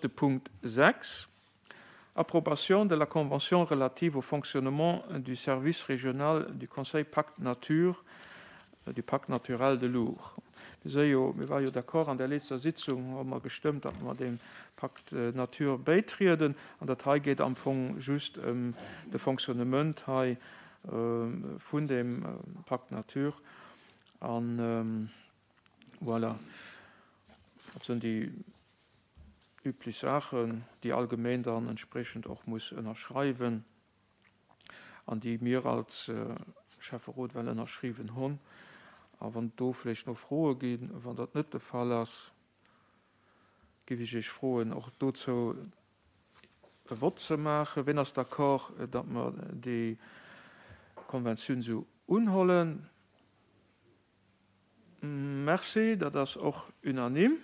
De Punkt 6, Approbation de la convention relative au fonctionnement du service régional du Conseil Pacte Nature, du Pacte naturel de l'Our. Mir si jo, mir ware jo d'accord an der letzter Sitzung hu mer gestëmmt, datt mer deem Pacte Nature bäitrieden. An dat hei geet am Fong just ëm de Fonctionnement hei vun deem Pacte Nature. An voilà, dat sinn déi üblech Saachen, déi all Gemeen dann entspriechend och muss ënnerschreiwen an déi mir als Schäfferot well ënnerschriwwen hunn. A wann do vläicht no Froe ginn, wann dat net de Fall ass, géif ech Iech froen, och dozou e Vott ze maachen. Wien ass d'accord, datt mer déi Konventioun esou unhollen? Merci, dat ass och unanime.